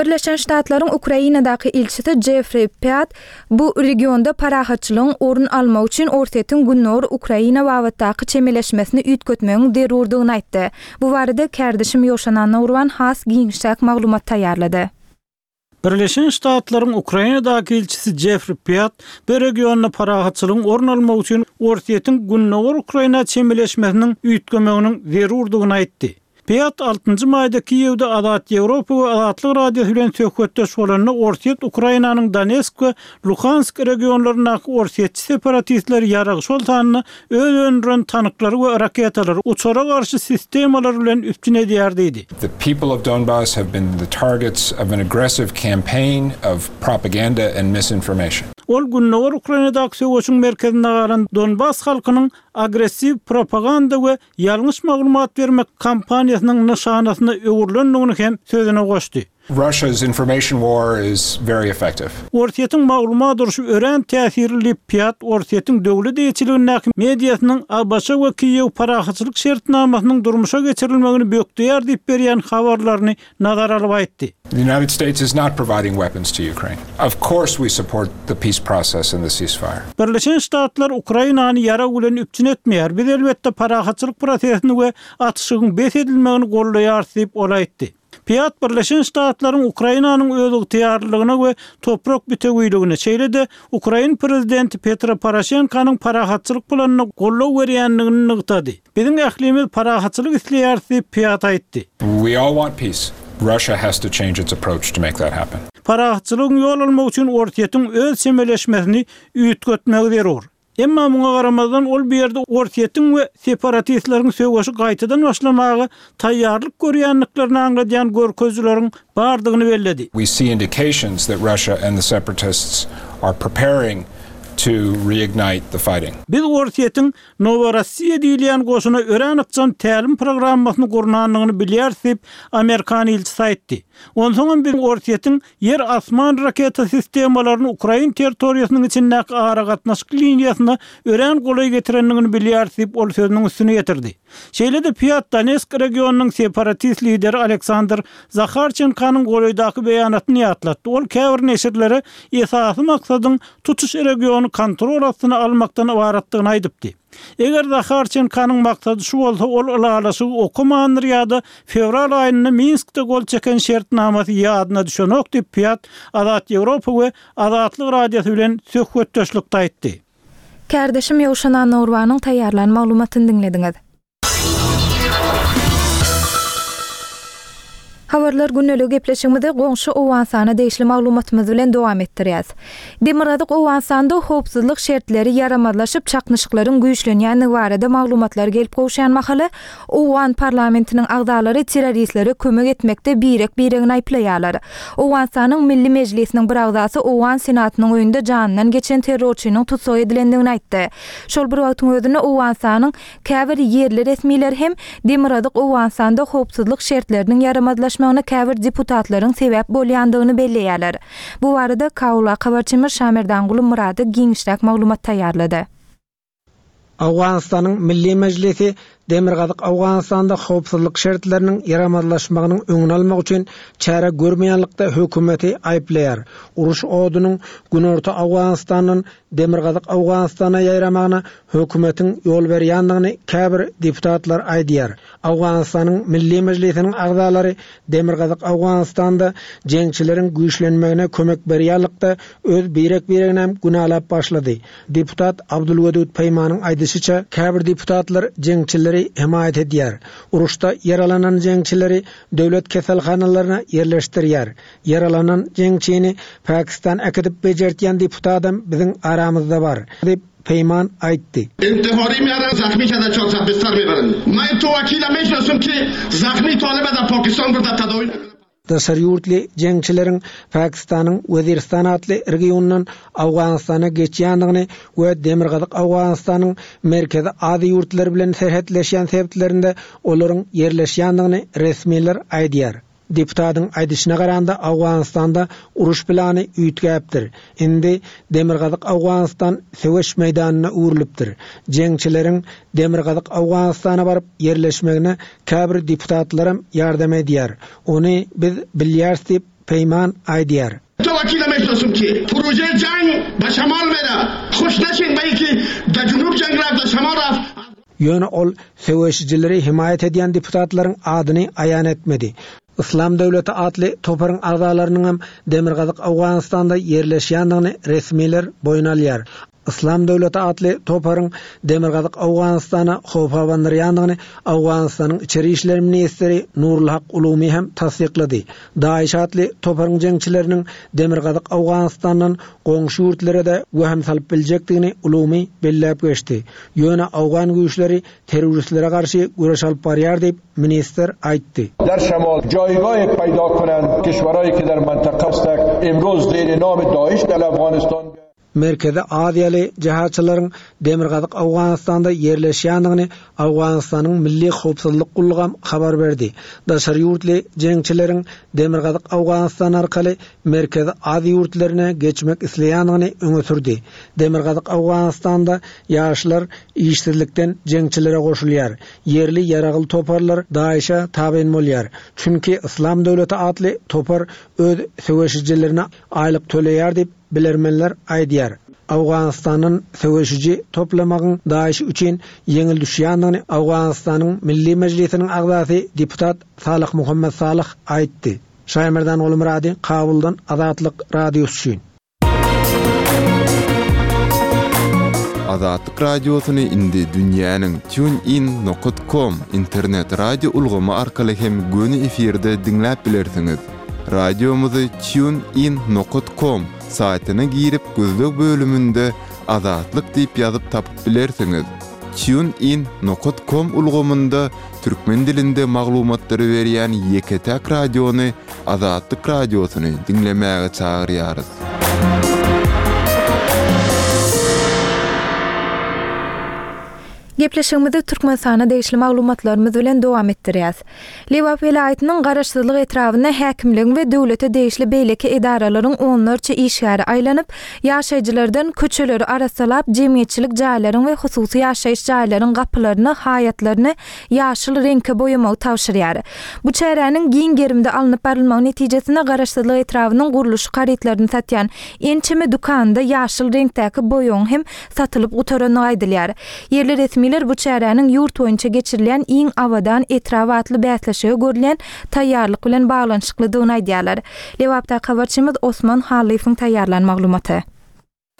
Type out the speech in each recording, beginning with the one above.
Birleşen Ştatlaryň Ukrainadaky ilçisi Jeffri Pýat bu regionda parahatçylygyň orun almagy üçin Orsýetiň gündogar Ukraina babatdaky çemeleşmesini üýtgetmegiň zerurdygyny aýtdy. Bu barada kärdeşim Ýowşan Annagurban has giňişräk maglumat taýýarlady. Birleşen Ştatlaryň Ukrainadaky ilçisi Jeffri Pýat bu regionda parahatçylygyň orun almagy üçin Orsýetiň gündogar Ukraina çemeleşmesiniň üýtgemeginiň zerurdygyny aýtdy. Pýat altynjy maýda Kiýewde Azat Ýewropa we Azatlyk Radiosy bilen söhbetdeş bolanda Orsýet Ukrainanyň Donesk we Luhansk regionlaryndaky orsýetçi separatistleri ýarag, şol sanda öz öndüren tanklary we raketalary, uçara garşy sistemalar bilen üpjün edýär diýdi. The people of Donbas have been the targets of an aggressive campaign of propaganda and misinformation. Ol gündogar Ukrainadaky söweşiň merkezinde galan Donbas halkynyň agressiw propaganda we ýalňyş maglumat bermek kampaniýasynyň nyşanasyna öwrülendigini hem sözüne goşdy. Russia's information war is very effective. Orsýetiň maglumat urşy örän täsirli diýip, Pýat Orsýetiň döwlet eýeçiligindäki mediasynyň ABŞ we Kiýew parahatçylyk şertnamasynyň durmuşa geçirilmegini bökdeýär diýip berýän habarlaryny nazara alyp aýtdy. The United States is not providing weapons to Ukraine. Of course we support the peace process and the ceasefire. Birleşen Ştatlar Ukrainany ýarag bilen üpjün etmeýär. Biz, elbetde, parahatçylyk prosesini we atyşygyň bes edilmegini goldaýarys diýip, ol aýtdy. Pýat Birleşen Ştatlaryň Ukrainanyň özygtyýarlylygyna we toprak bitewiligine, şeýle-de ukrain prezidenti Petro Poroşenkonyň parahatçylyk planyna goldaw berýändigini nygtady. Biziň ählimiz parahatçylyk isleýäris diýip, Pýat aýtdy. We all want peace. Russia has to change its approach to make that happen. Parahatçylygyň ýol almagy üçin Orsýetiň öz çemeleşmesini üýtgetmegi zerur. Emma muňa garamazdan, ol bu ýerde Orsýetiň we separatistleriň söweşi gaýtadan başlamaga taýýarlyk görýändiklerini aňladýan görkezijileriň bardygyny belledi. We see indications that Russia and the separatists are preparing to reignite the fighting. Biz Orsýetiň Noworossiýa diýilýän goşuna örän ykjam tälim programmasyny gurnandygyny bilýäris diýip, amerikan ilçisi aýtdy. Onsoňam biz Orsýetiň Ýer-asman raketa sistemalaryny ukrain territoriýasynyň içindäki aragatnaşyk liniýasyna örän golaý getirendigini bilýäris diýip, ol sözüniň üstüni ýetirdi. Şeýle-de Pýat Donesk regionynyň separatist lideri Aleksandr Zaharçenkonyň golaýdaky beýanatyny ýatlatdy, ol käbir neşirlere esasy maksadyň tutuş regiony kontrol astyna almakdan ybaratdygyny aýdypdy. Eger Zaharçenkonyň maksady şu bolsa, ol ylalaşygy okamandyr ýa-da fewral aýynda Minskde gol çeken şertnamasy ýadyna düşenok diýip, Pýat Azat Ýewropa we Azatlyk Radiosy bilen söhbetdeşlikde aýtdy. Kärdeşim Ýowşan Annagurbanyň taýýarlan maglumatyny diňlediňiz. Habarlar gündeligi gepleşigimizi goňşy Owganystana degişli maglumatymyz bilen dowam etdirýäs. Demirgazyk Owganystanda howpsuzlyk şertleri ýaramazlaşyp, çaknyşyklaryň güýçlenýändigi barada maglumatlar gelip gowşýan mahaly, owgan parlamentiniň agzalary terroristlere kömek etmekde birek-biregini aýyplaýarlar. Owganystanyň Milli Mejlisiniň bir agzasy owgan Senatynyň öýünde janyndan geçen terrorçynyň tussag edilendigini aýtdy. Şol bir wagtyň özünde Owganystanyň Käbir ýerli resmiler hem Demirgazyk Owganystanda howpsuzlyk şertleriniň ýaramazlaşmagyna käbir deputatlaryň sebäp bolýandygyny belleýärler. Bu barada Kabuldaky habarçymyz Şamerdanguly Myrady giňişräk maglumat taýýarlady. Owganystanyň Milli Mejlisi Demirgazyk Owganystanda howpsuzlyk şertleriniň ýaramazlaşmagynyň öňüni almak üçin çäre görmeýänlikde hökümeti aýyplaýar. Uruş odunyň Günorta Owganystandan Demirgazyk Owganystana ýaýramagyna hökümetiň ýol berýändigini käbir deputatlar aýdýar. Owganystanyň Milli Mejlisiniň agzalary Demirgazyk Owganystanda jeňçileriň güýçlenmegine kömek berýänlikde öz birek-bireginem günälap başlady. Deputat Abdulwedud Peýmanyň aýdyşyça, käbir deputatlar jeňçileri hemaýat edýär, uruşda ýaralanan jeňçileri döwlet keselhanalaryna ýerleşdirýär, Ýaralanan jeňçini Pakistan äkidip bejertýän deputadam biziň aramyzda bar, diýip, Peýman aýtdy. Daşary ýurtly jeňçileriň Pakistanyň Weziristan atly regionyndan Owganystana geçýändigini we Demirgazyk Owganystanyň Merkezi Aziýa ýurtlary bilen serhetleşýän sebitlerinde olaryň ýerleşýändigini resmiler aýdýar. Deputatyň aýdyşyna garanda, Owganystanda uruş plany üýtgäpdir. Indi Demirgazyk Owganystan söweş meýdanyna öwrülipdir. Jeňçileriň Demirgazyk Owganystana baryp ýerleşmegine käbir deputatlaram ýardam edýär. Ony biz bilýäris diýip, Peýman aýdýar. Ýöne ol söweşijileri hemaýat edýän deputatlaryň adyny aýan etmedi. Yslam döwleti atly toparyň agzalarynyňam demirgazyk Owganystanda ýerleşýändigini resmiler boýun alýar. Yslam döwleti atly toparyň demirgazyk Owganystana howp abandyrýandygyny Owganystanyň içeri işler ministri Nurulhak Ulumi hem tassyklady. DAIŞ atly toparyň jeňçileriniň demirgazyk Owganystandan goňşy ýurtlara-da wehim salyp biljekdigini Ulumi belläp geçdi. Ýöne owgan güýçleri terroristlere garşy göreş alyp barýar diýip, ministr aýtdy. در شمال جایگاه پیدا کنند کشورهایی که در منطقه هستند امروز زیر نام داعش در افغانستان Merkezi Aziýaly jehatçylaryň demirgazyk Owganystanda ýerleşýändigini Owganystanyň Milli howpsuzlyk gullugam habar berdi. Daşary ýurtly jeňçileriň demirgazyk Owganystan arkaly Merkezi Aziýa ýurtlaryna geçmek isleýändigini öňe sürdi. Demirgazyk Owganystanda ýaşlar işsizlikden jeňçilere goşulýar. Ýerli ýaragly toparlar DAIŞ-e tabyn bolýar. Çünki Yslam döwleti atly topar öz söweşijilerine aýlyk töleýär diýip, bilermenler aýdýar. Owganystandan söweşiji toplamagyň DAIŞ üçin ýeňil düşýändigini Owganystanyň Milli Mejlisiniň agzasy deputat Salyh Muhammet Salyh aýtdy. Şaýmerdan Gulmyrady, Kabuldan Azatlyk Radiosy üçin. Azatlyk Radiosyny indi dünýäniň TuneIn nokat com internet radio ulgamy arkaly hem göni efirde diňläp bilersiňiz. Radiomyzy Tune In nokat kom saýtyna girip gözleg bölüminde Azatlyk diýip ýazyp tapyp bilersiňiz. Tune In nokat kom ulgamynda türkmen dilinde maglumatlary berýän ýeke-täk radiony Azatlyk Radiosyny diňlemäge çagyrýarys. Gepleşigimizi Türkmenistana degişli maglumatlarymyz bilen dowam etdirýäs. Lebap welaýatynyň Garaşsyzlyk etrabynda häkimligiň we döwlete degişli beýleki edaralaryň onlarça işgäri aýlanyp, ýaşaýjylardan köçeleri arassalap, jemgyýetçilik jaýlaryň we hususy ýaşaýyş jaýlaryň gapylaryny, haýatlaryny ýaşyl reňke boýamagy tabşyrýar. Bu çäräniň giň gerimde alnyp barylmagy netijesinde Garaşsyzlyk etrabynyň gurluşyk harytlaryny satýan ençeme dükanynda ýaşyl reňkdäki boýagyň hem satylyp gutarandygy aýdylýar. Ýerli resmiler bu çäräniň ýurt boýunça geçirilýän Iň abadan etrap atly bäsleşige görülýän taýýarlyk bilen baglanyşyklydygyny aýdýarlar. Lebapdaky habarçymyz Osman Hallyýewiň taýýarlan maglumaty.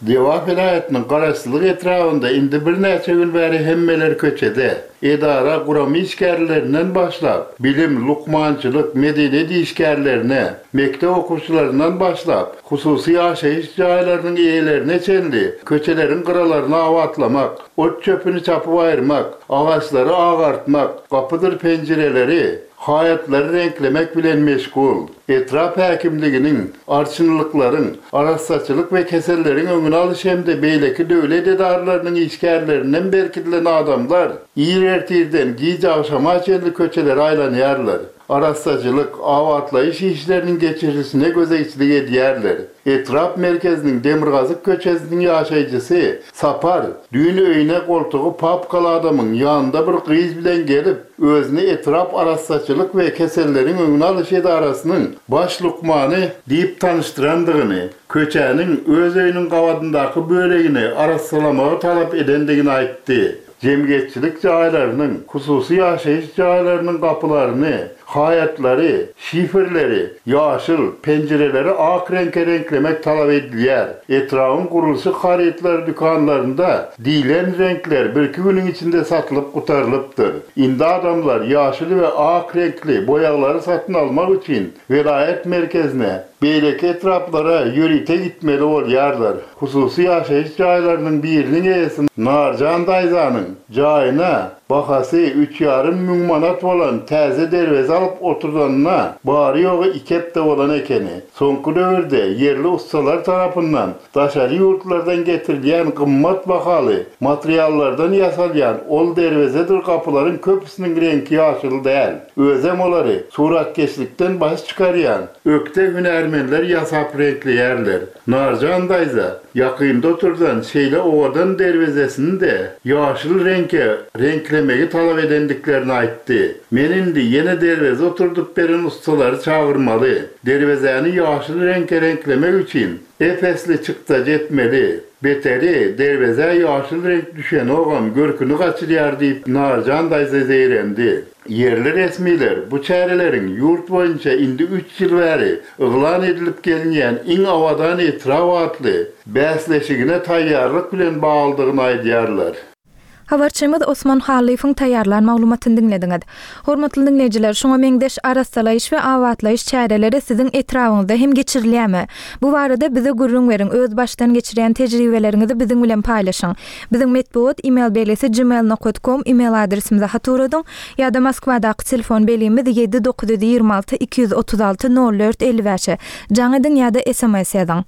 Lebap welaýatynyň Garaşsyzlyk etrabynda indi birnäçe gün bäri hemmeler köçede. Edara, gurama işgärlerinden başlap, bilim, lukmançylyk, medeniýet işgärlerine, mekdep okuwçylaryndan başlap, Hususy ýaşaýyş jaýlarynyň eýelerine çenli köçeleriň gyralaryny abatlamak, ot-çöpüni çapyp aýyrmak, agaçlary agartmak, gapydyr penjireleri, haýatlary reňklemek bilen meşgul. Etrap häkimliginiň, arçynlyklaryň, arassaçylyk we keselleriň öňüni alyş hem-de beýleki döwlet edaralarynyň işgärlerinden berkidilen adamlar ir ertirden giç agşama çenli köçelere aýlanýarlar. Arassaçylyk, abatlaýyş işleriniň geçirilişine gözegçilik edýärler. Etrap merkeziniň demirgazyk köçesiniň ýaşaýjysy Sapar düýn öýüne goltugy papkaly adamyň ýanynda bir gyz bilen gelip, özüni etrap arassaçylyk we keselleriň öňüni alyş edarasynyň baş lukmany diýip tanyşdyrandygyny, köçäniň öz öýüniň gabadyndaky bölegini arassalamagy talap edendigini aýtdy. Jemgyýetçilik jaýlarynyň, hususy ýaşaýyş jaýlarynyň gapylaryny, haýatlary, şiferleri ýaşyl, penjireleri ak reňke reňklemek talap edilýär. Etrabyň gurluşyk harytlary dükanlarynda diýlen reňkler birki günüň içinde satylyp gutarylypdyr. Indi adamlar ýaşyl we ak reňkli boýaglary satyn almak üçin welaýat merkezine, beýleki etraplara ýörite gitmeli bolýarlar. Hususy ýaşaýyş jaýlarynyň biriniň eýesi Narjan daýzanyň jaýyna bahasy üç ýarym müň manat bolan täze derweze alyp oturdanyna bary-ýogy iki hepde bolan ekeni. Soňky döwürde ýerli ussalar tarapyndan daşary ýurtlardan getirilýän gymmat bahaly materiallardan ýasalýan ol derwezedir gapylaryň köpüsiniň reňki ýaşyl däl. Özem olary suratkeşlikden baş çykarýan ökde hünärmenler ýasap reňkleýärler. Narjan daýza ýakynda oturdan şeýle owadan derwezesini-de ýaşyl reňke reňklemek. reňklemegi talap edendiklerini aýtdy. Men indi ýene derweze oturdyp beren ussalary çagyrmaly. Derwezäni ýaşyl reňke reňklemek üçin ep-esli çykdajy etmeli. Beteri, derwezä ýaşyl reňk düşenogam, görküni gaçyrýar diýip, Narjan daýza zeýrendi. Ýerli resmiler bu çäreleriň ýurt boýunça indi üç ýyl bäri yglan edilip gelinýän Iň abadan etrap atly bäsleşigine taýýarlyk bilen baglydygyny aýdýarlar. Habarçymyz Osman Hallyýewiň taýýarlan maglumatyny diňlediňiz. Hormatly diňleýjiler, şuňa meňzeş arassalaýyş we abatlaýyş çäreleri siziň etrabyňyzda hem geçirilýärmi? Bu barada bize gürrüň beriň, öz başdan geçirýän tejribeleriňizi biziň bilen paýlaşyň. Biziň metbugat email belgisi gmail nokat kom email adresimize hat ugradyň ýa-da Moskwadaky telefon belgimiz 7 926 236 04 55-e jaň ediň ýa-da sms ýazyň.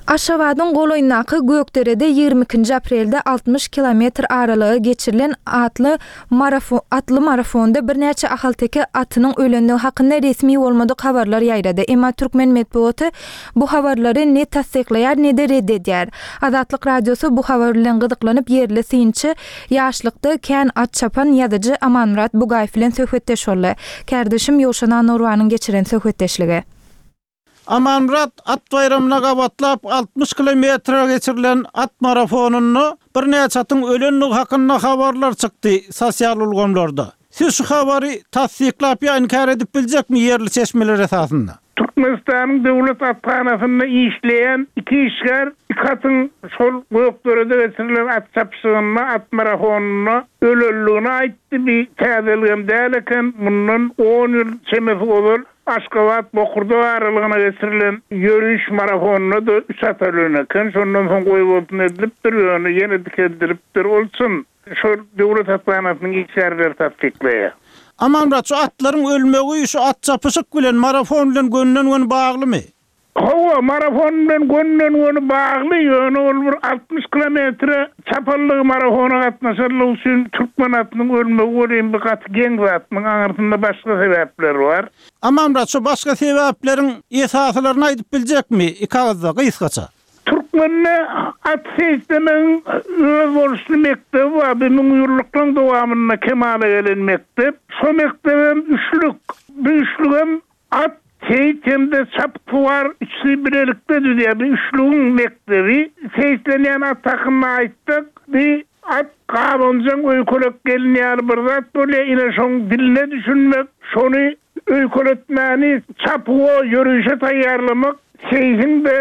Aşgabadyň golaýyndaky Gökderede 22-nji aprelde 60 kilometr aralyga geçirilen atly atly marafonda birnäçe ahalteke atynyň ölendigi hakynda resmi bolmadyk habarlar ýaýrady. Emma türkmen metbugaty bu habarlary ne tassyklaýar, ne-de red edýär. Azatlyk Radiosy bu habar bilen gyzyklanyp, ýerli synçy, ýaşlykda kän at çapan ýazyjy Amanmyrat Bugaýew bilen söhbetdeş boldy. Kärdeşim Ýowşan Annagurbanyň geçiren söhbetdeşligi. Amanmyrat at baýramyna gabatlap 60 kilometre geçirilen at marafonynda birnäçe atyň ölendigi hakynda habarlar çykdy sosial ulgamlarda. Siz şu habary tassyklap ýa inkär edip biljekmi ýerli çeşmeler esasynda? Türkmenistanyň Döwlet athanasynda işleýän iki işgär iki atyň şol Gökderede geçirilen at çapyşygynda, at marafonynda ölenligini aýtdy. Bi täzeligem däl eken, mundan on ýyl çemesi ozal Aşgabat, Bokurdak aralygyna geçirilen ýöriş marafonynda-da üç at ölen eken. Şondan soň goýbolsun edilipdir, ýöne ýene dikeldilipdir. Ol çyn. Şol döwlet hassahanasynyň işgärleri tassyklaýar. Amanmyrat, şu atlaryň ölmegi şu at çapyşyk bilen, marafon bilen gönden-göni baglymy? Hawa, marafon bilen gönden-göni bagly, ýöne ol bir 60 kilometre çapanlygy, marafona gatnaşanlygy üçin türkmen atynyň ölmegi welin bir gaty geň zat. Muň aňyrsynda başga sebäpler bar. Amanmyrat, şu başga sebäpleriň esasylaryny aýdyp biljekmi, iki agyzda, gysgaça? Türkmende at seýislemegiň özboluşly mekdebi bar. Bu müňýyllyklaryň dowamynda kemala gelen mekdep. Şo mekdebem üçlük. Bu üçlügem at, seýis hem-de çapyksuwar üçüsi bilelikde düzýär. Bu üçlügiň mekdebi. Seýislenýän at hakynda aýtsak, bu at gabanjaň öýkelek gelin ýaly bir zat bolýar. Ine, şoň diline düşünmek, şony Öýkeletmäni çapuwa, ýörişe taýýarlamak seýsiň-de,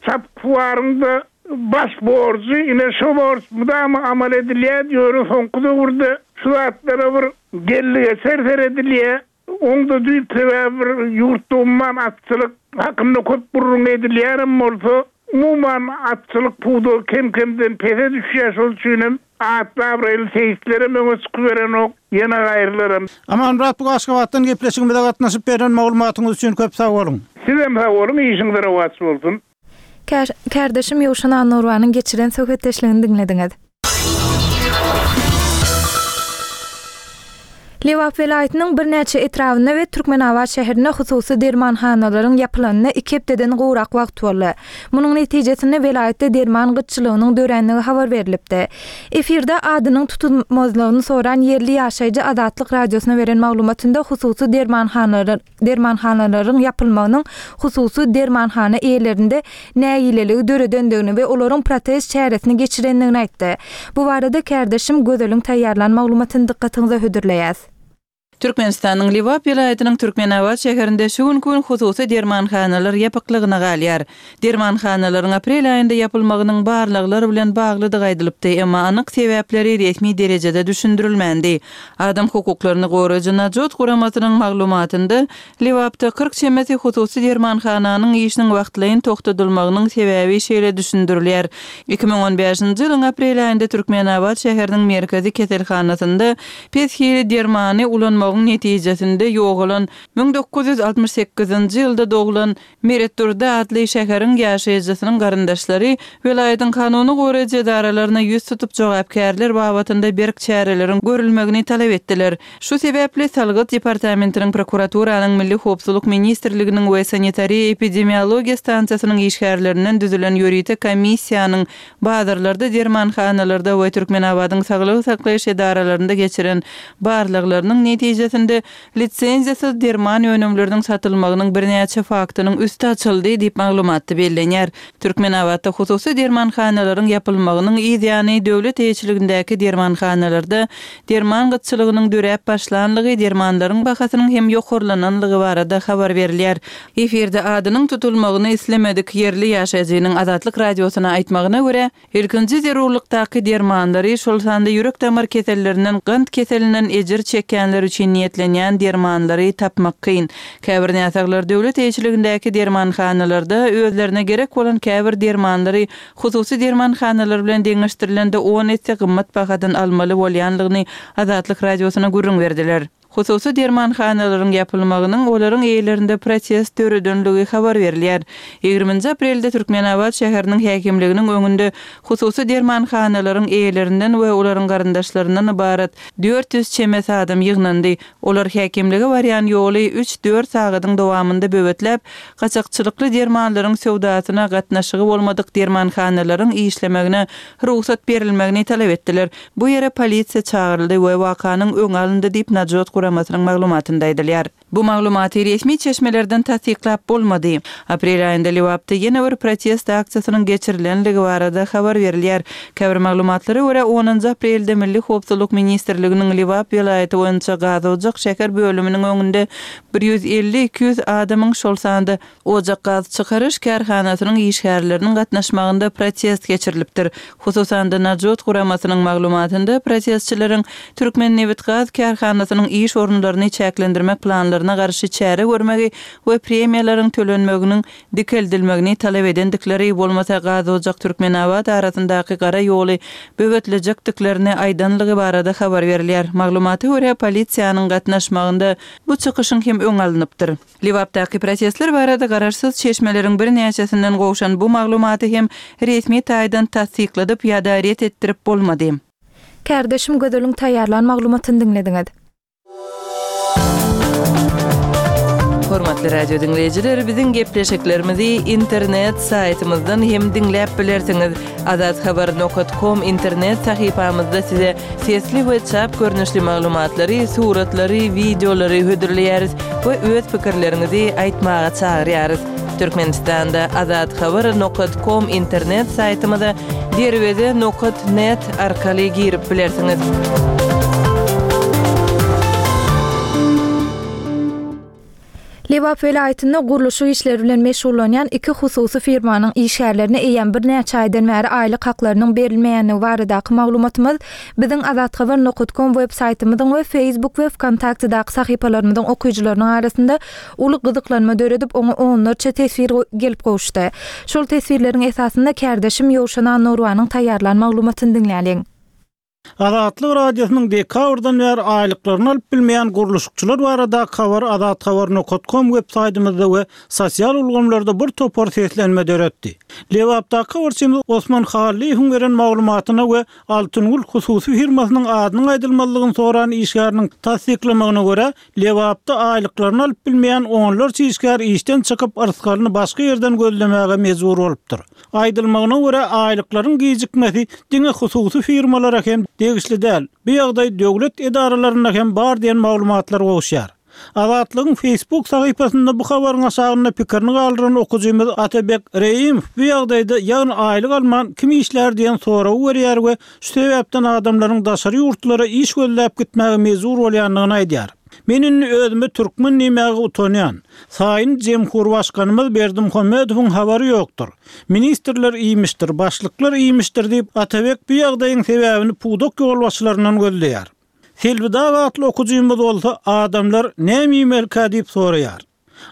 çapyksuwaryň-da baş borjy. Ine, şo borç mydama amal edilýär, ýöne soňky döwürde şu zatlara bir geldi-geçer seredilýär. Oň-da düýp sebäbi bir ýurtda umuman atçylyk hakynda köp gürrüň edilýänem bolsa, umuman atçylyk pudagy kem-kemden pese düşýär, şol üçinem Atly-abraýly seýislerem öňe çykyberenok, ýene gaýrylaram. Amanmyrat bu Aşgabatdan gepleşigimize gatnaşyp beren maglumatyňyz üçin köp sag boluň. Sizem sag boluň, işiňiz rowaç bolsun. Kärdeşim Ýowşan Annagurbanyň geçiren söhbetdeşligini diňlediňiz. Lebap welaýatynyň birnäçe etrabynda we Türkmenabat şäherinde hususy dermanhanalaryň ýapylanyna iki hepdeden gowrak wagt boldy. Munuň netijesinde welaýatda derman gytçylygynyň dörändigi habar berlipdi. Efirde adynyň tutulmazlygyny soran ýerli ýaşaýjy Azatlyk Radiosyna beren maglumatynda hususy dermanhanalaryň ýapylmagynyň hususy dermanhana eýelerinde nägileligi döredendigini we olaryň protest çäresini geçirendigini aýtdy. Bu barada kärdeşim Gözeliň taýýarlan maglumatyny dykgatyňyza hödürleýäs. Türkmenistanyň Lebap welaýatynyň Türkmenabat şäherinde şu günki gün hususy dermanhanalar ýapyklygyna galýar. Dermanhanalaryň aprel aýynda ýapylmagynyň barlaglar bilen baglydygy aýdylypdy, emma anyk sebäpleri resmi derejede düşündirilmändi. Adam hukuklaryny goraýjy Najot guramasynyň maglumatynda, Lebapda 40 çemesi hususy dermanhananyň işiniň wagtlaýyn togtadylmagynyň sebäbi şeýle düşündirilýär, 2015-nji ýylyň aprel aýynda Türkmenabat şäheriniň merkezi keselhanasynda pes hili dermany ulanmagyň. urmagyň netijesinde ýogalan 1968-nji ýylda doglan Meretdurdy atly şäheriň ýaşaýjysynyň garyndaşlary welaýatyň kanuny goraýjy edaralaryna ýüz tutup jogapkärler babatynda berk çäreleriň görülmegini talap etdiler. Şu sebäpli Salgyt departamentiniň, prokuraturanyň, Milli howpsuzlyk ministrliginiň we sanitariýa-epidemiologiýa stansiýasynyň işgärlerinden düzülen ýörite komissiýanyň bazarlarda, dermanhanalarda we Türkmenabadyň saglygy saklaýyş edaralarynda geçiren barlaglarynyň netijesinde Lisenziýasyz derman önümleriniň satylmagynyň birnäçe faktynyň üsti açyldy diýip, maglumatda bellenýär. Türkmenabatda hususy dermanhanalaryň ýapylmagynyň yz ýany döwlet eýeçiligindäki dermanhanalarda derman gytçylygynyň döräp başlanlygy, dermanlaryň bahasynyň hem ýokarlananlygy barada habar berilýär. Efirde adynyň tutulmagyny islemedik ýerli ýaşaýjynyň Azatlyk Radiosyna aýtmagyna görä, Ilkinji zerurlykdaky dermanlary, şol sanda ýürek-damar kesellerinden, gant keselinden ejir çekýänler üçin niýetlenýän dermanlary tapmak kyn. Käbir näsaglar döwlet eýeçiligindäki dermanhanalarda özlerine gerek bolan käbir dermanlary hususy dermanhanalar bilen deňeşdirilende on esse gymmat bahadan almaly bolýanlygyny Azatlyk Radiosyna gürrüň berdiler. Hususy dermanhanalaryň ýapylmagynyň olaryň eýelerinde protest döredenligi habar berilýär. Ýigriminji aprelde Türkmenabat şäheriniň häkimliginiň öňünde hususy dermanhanalaryň eýelerinden we olaryň garyndaşlaryndan ybarat 400 çemesi adam ýygnandy. Olar häkimlige barýan ýoly üç-dört sagadyň dowamynda böwetläp, gaçakçylykly dermanlaryň söwdasyna gatnaşygy bolmadyk dermanhanalaryň işlemegine rugsat berilmegini talap etdiler. Bu ýere polisiýa çagyryldy we wakanyň öňi alyndy diýip, Najot guramasynyň maglumatynda aýdylýar. Bu maglumaty resmi çeşmelerden tassyklap bolmady. Aprel aýynda Lebapda ýene bir protest aksiýasynyň geçirilenligi barada habar berilýär. Käbir maglumatlara görä, onunjy aprelde Milli howpsuzlyk ministrliginiň Lebap welaýaty boýunça Gazojak şäher bölüminiň öňünde bir 150-200 adamyň, şol sanda Ojak gaz çykaryş kärhanasynyň işgärleriniň gatnaşmagynda protest geçirilipdir. Hususan-da, Najot guramasynyň maglumatynda protestçileriň Türkmennebitgaz kärhanasynyň iş orunlaryny çäklendirmek planlaryna garşy çäre görmegi we premiýalaryň tölenmeginiň dikeldilmegini talap edendikleri, bolmasa Gazojak-Türkmenabat arasyndaky gara ýoly böwetlejekdiklerini aýdanlygy barada habar berilýär. Maglumata görä, polisiýanyň gatnaşmagynda bu çykyşyň hem öňi alnypdyr. Lebapdaky protestler barada garaşsyz çeşmeleriň birnäçesinden gowşan bu maglumaty hem resmi taýdan tassykladyp ýa-da ret etdirip bolmady. Kärdeşim Gözeliň taýýarlan maglumatyny diňlediňiz. Hormatly radio diňleýjiler, biziň gepleşiklerimizi internet saýtymyzdan hem diňläp bilersiňiz. Azathabar nokat kom internet sahypamyzda size sesli we çap görnüşli maglumatlary, suratlary, wideolary hödürleýäris we öz pikirleriňizi aýtmaga çagyrýarys. Türkmenistanda Azathabar nokat kom internet saýtymyza derweze nokat net arkaly girip bilersiňiz. Lebap welaýatynda gurluşyk işleri bilen meşgullanýan iki hususy firmanyň işgärlerine eýýäm birnäçe aýdan bäri aýlyk haklarynyň berilmeýändigi baradaky maglumatymyz biziň azathabar nokat kom web saýtymyzyň we Facebook we Wkontaktedaky sahypalarymyzyň okyjylarynyň arasynda uly gyzyklanma döredip, oňa onlarça teswir gelip gowuşdy. Şol teswirleriň esasynda kärdeşim Ýowşan Annagurbanyň taýýarlan maglumatyny diňläliň. Azatlyk Radiosynyň dekabrdan bäri aýlyklaryny alyp bilmeýän gurluşykçylar baradaky habary azathabar nokat kom web saýtymyzda we sosial ulgamlarda bir topar seslenme döretdi. Lebapdaky habarçymyz Osman Hallyýewiň beren maglumatyna we Altyngül hususy firmasynyň adynyň aýdylmazlygyny soran işgäriniň tassyklamagyna görä, Lebapda aýlyklaryny alyp bilmeýän onlarça işgär işden çykyp, yrsgalyny başga ýerden gözlemäge mejbur bolupdyr. Aýdylmagyna görä, aýlyklaryň gijikmesi diňe hususy firmalara hem degişli däl, bu ýagdaý döwlet edaralarynda hem bar diýen maglumatlar gowuşýar. Azatlygyň Facebook sahypasynda bu habaryň aşagynda pikirini galdyran okyjymyz Atabek Reýimow bu ýagdaýda, ýagny aýlyk alman kim işlär diýen soragy berýär we Şu sebäpden adamlaryň daşary ýurtlara iş gözläp gitmäge mejbur bolýandygyny aýdýar. Men indi özüme türkmen diýmäge utanýan. Saýyn Jemhurbaşkanymyz Berdimuhamedowyň habary ýokdur. Ministrler iýmişdir, başlyklar iýmişdir diýip, Atabek bu ýagdaýyň sebäbini pudak ýolbaşçylaryndan gözleýär. Selbi Dag atly okyjymyz bolsa adamlar näme iýmelikä diýip soraýar.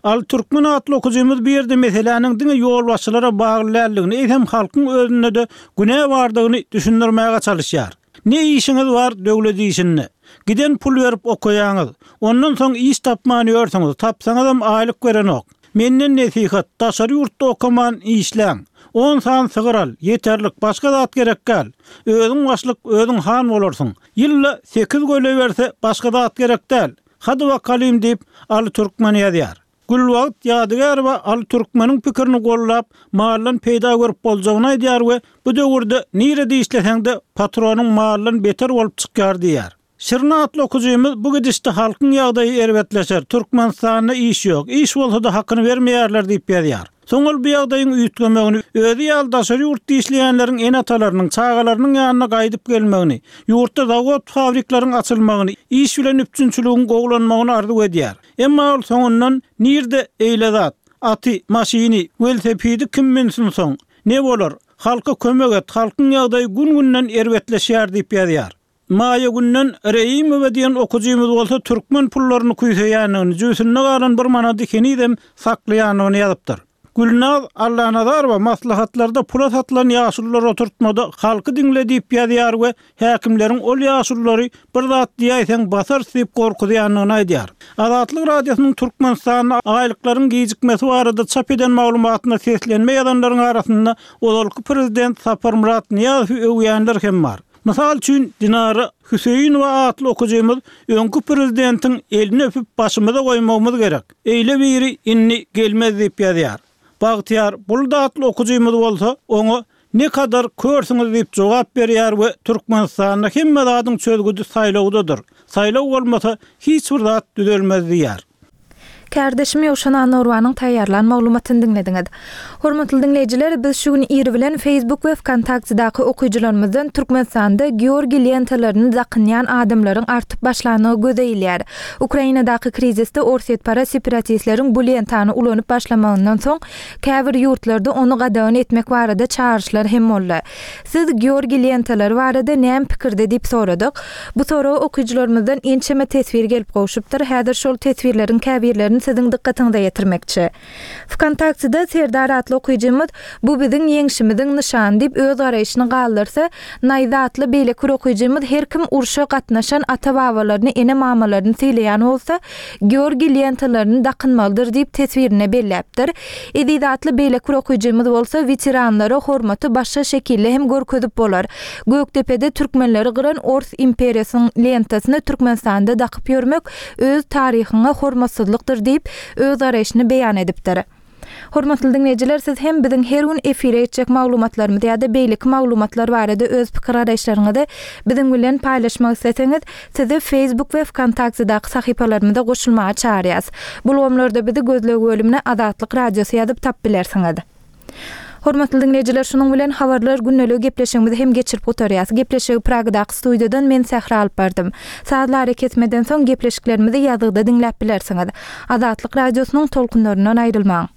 Al Türkmen atly okyjymyz bu ýerde meseläniň diňe ýolbaşçylara bagly däldigini, eýsem halkyň özünde-de günä bardygyny düşündirmäge çalyşýar. Ne işiňiz bar döwlet işinde? Giden pul berip okaýaňyz. Ondan soň iş tapman ýörsüňiz, tapsaňyzam aýlyk berenok. Menden nesihat, daşary ýurtda okaman işläň. On sany sygyr al, ýeterlik, başga zat gerek däl. Özüň başlyk, özüň han bolarsyň. Ýylda sekiz göle berse, başga zat gerek däl. Hady bakalym diýip, Aly Türkmen ýazýar. Gülbagt Ýadygärowa Aly Türkmeniň pikirini goldap, maldan peýda görüp boljagyny aýdýar we bu döwürde nirede işleseň-de patronyň maldan beter bolup çykýar diýýär. Şirin atly okyjymyz bu gidişde halkyň ýagdaýy erbetleşer, Türkmenistanda iş ýok, iş bolsa-da hakyny bermeýärler diýip ýazýar. Soň ol bu ýagdaýyň üýtgemegini, özi ýaly daşary ýurtda işleýänleriň ene-atalarynyň, çagalarynyň ýanyna gaýdyp gelmegini, ýurtda zawod-fabrikleriň açylmagyny, iş bilen üpjünçiligiň gowulanmagyny arzuw edýär. Emma ol soňundan nirde eýle zat, aty, maşyny, welosipedi kim münsin soň, ne bolar, halka kömek et, halkyň ýagdaýy gün-günden erbetleşýär diýip ýazýar. Maýa Günden Reýimowa diýen okyjymyz bolsa türkmen pullaryny küýseýändigini, jübüsinde galan bir manady henizem saklaýandygyny ýazypdyr. Gülnaz Allanazarowa maslahatlarda pula satylan ýaşulular oturtmada halky diňle diýip ýazýar we häkimleriň ol ýaşululary bir zat diýäýseň basarys diýip gorkuzýandygyny aýdýar. Azatlyk Radiosynyň Türkmenistanda aýlyklaryň gijikmesi barada çap eden maglumatyna seslenme ýazanlaryň arasynda ozalky prezident Saparmyrat Nyýazowy öwýänler hem bar. Mysal üçin, Dinara Hüseýinowa atly okyjymyz öňki prezidentiň elini öpüp başymyza goýmagymyz gerek. Eýle biri indi gelmez diýip ýazýar. Bagtyýar Bulut atly okyjymyz bolsa oňa Ne kadar körsüňiz diýip jogap berýär we Türkmenistanda hemme zadyň çözgüdi saýlawdadyr. Saýlaw bolmasa hiç bir zat düzelmez diýýär. Kärdeşim Ýowşan Annagurbanyň taýýarlan maglumatyny diňlediňiz. Hormatly diňleýjiler, biz şu gün ir bilen Facebook we Wkontaktedaky okyjylarymyzdan Türkmenistanda Georgiý lentalaryny dakynýan adamlaryň artyp başlandygy göze ilýär. Ukrainadaky krizisde orsýetparaz separatistleriň bu lentany ulanyp başlamagyndan soň, käbir ýurtlarda ony gadagan etmek barada çagyryşlar hem boldy. Siz Georgiý lentalary barada näme pikirde diýip soradyk. Bu soraga okyjylarymyzdan ençeme teswir gelip gowşupdyr. Häzir şol teswirleriň käbirlerini siziň dykgatyňyza ýetirmekçi. Wkontaktede Serdar atly okyjymyz Bu biziň ýeňşimiziň nyşany diýip öz garaýşyny galdyrsa, Naýza atly beýleki bir okyjymyz Her kim urşa gatnaşan ata-babalaryny, ene-mamalaryny sylaýan bolsa, Georgiý lentalaryny dakynmalydyr diýip teswirinde belläpdir. Eziz atly beýleki bir okyjymyz bolsa Weteranlara hormaty başga şekilde hem görkezip bolar. Gökdepede türkmenleri gyran ors imperiýasynyň lentasyny Türkmenistanda dakyp ýörmek öz taryhyňa hormatsyzlykdyr diýip, öz garaýşyny beýan edipdir. Hormatly diňleýjiler, siz hem biziň her gün efire geçjek maglumatlarymyz ýa-da beýleki maglumatlar barada öz pikir-garaýyşlaryňyzy biziň bilen paýlaşmak isleseňiz, sizi Facebook we Wkontaktedaky sahypalarymyza goşulmaga çagyrýas. Bu ulgamlarda bizi gözleg bölümine Azatlyk Radiosy ýazyp tapyp bilersiňiz. Hormatly diňleýjiler, şunuň bilen Habarlar gündeligi gepleşigimizi hem geçirip gutarýas. Gepleşigi Pragadaky studiýadan men Sähra alyp bardym. Sazly arakesmeden soň gepleşiklerimizi ýazgyda diňläp bilersiňiz. Azatlyk Radiosynyň tolkunlaryndan aýrylmaň!